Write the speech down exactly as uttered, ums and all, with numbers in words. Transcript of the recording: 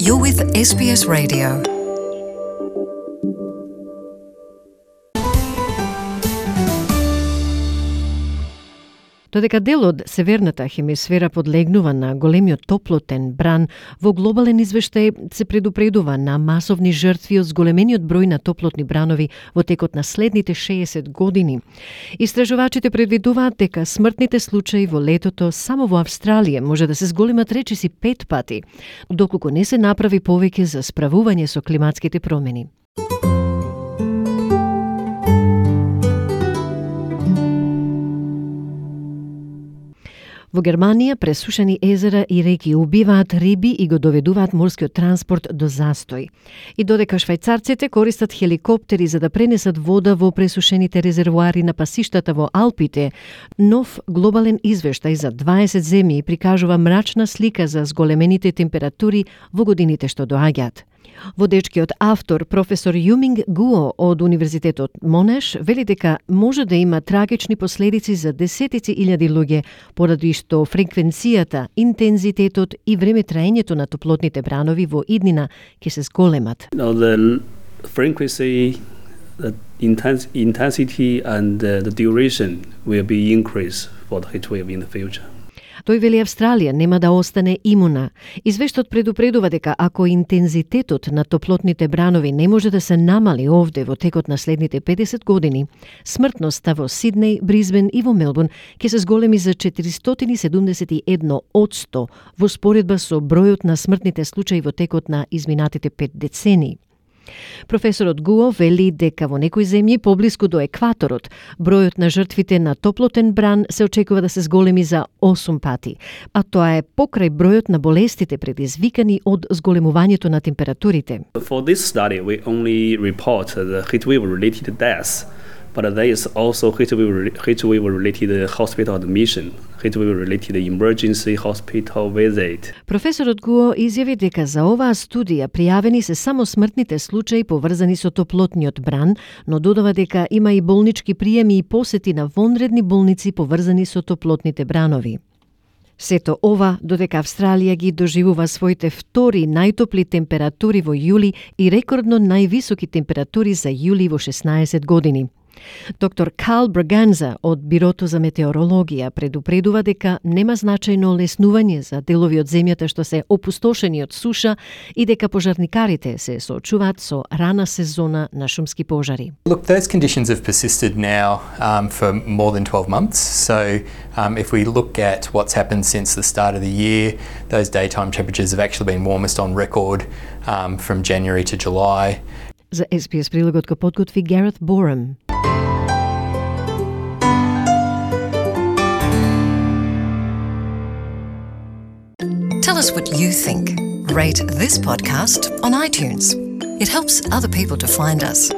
You're with S B S Radio. Додека дел од северната хемисфера подлегнува на големиот топлотен бран, во глобален извештај се предупредува на масовни жртви од зголемениот број на топлотни бранови во текот на следните шеесет години. Истражувачите предвидуваат дека смртните случаи во летото само во Австралија може да се зголемат речиси пет пати, доколку не се направи повеќе за справување со климатските промени. Во Германија пресушени езера и реки убиваат риби и го доведуваат морскиот транспорт до застој. И додека швајцарците користат хеликоптери за да пренесат вода во пресушените резервоари на пасиштата во Алпите, нов глобален извештај за дваесет земји прикажува мрачна слика за зголемените температури во годините што доаѓаат. Водечкиот автор, професор Юминг Гуо од Универзитетот Монеш, вели дека може да има трагични последици за десетици илјади луѓе, поради што фреквенцијата, интензитетот и времетраењето на топлотните бранови во иднина ќе се зголемат. Now the frequency, the intens- intensity and the, the duration will be increased for the heat wave in the future. Тој вели Австралија нема да остане имуна. Извештајот предупредува дека ако интензитетот на топлотните бранови не може да се намали овде во текот на следните педесет години, смртноста во Сиднеј, Бризбен и во Мелбурн ќе се зголеми за четиристотини и седумдесет и едно одсто во споредба со бројот на смртните случаи во текот на изминатите пет децении. Професорот Гуо вели дека во некои земји поблиску до екваторот, бројот на жртвите на топлотен бран се очекува да се зголеми за осум пати, а тоа е покрај бројот на болестите предизвикани од зголемувањето на температурите. For this study, we only report the heat wave related deaths, but there is also heat wave heat wave related hospital admission, heat wave related emergency hospital visit. Професорот Гуо изјави дека за оваа студија пријавени се само смртните случаи поврзани со топлотниот бран, но додава дека има и болнички приеми и посети на вонредни болници поврзани со топлотните бранови. Сето ова додека Австралија ги доживува своите втори најтопли температури во јули и рекордно највисоки температури за јули во шеснаесет години. Доктор Карл Браганза од Бирото за метеорологија предупредува дека нема значајно леснување за делови од земјата што се опустошени од суша и дека пожарникарите се соочуваат со рана сезона на шумски пожари. Look, those conditions have persisted now um, for more than twelve months. So um, if we look at what's happened since the start of the year, those daytime temperatures have actually been warmest on record um, from January to July. За С Б С прилогот го подготви Гарет Борем. Tell us what you think. Rate this podcast on iTunes. It helps other people to find us.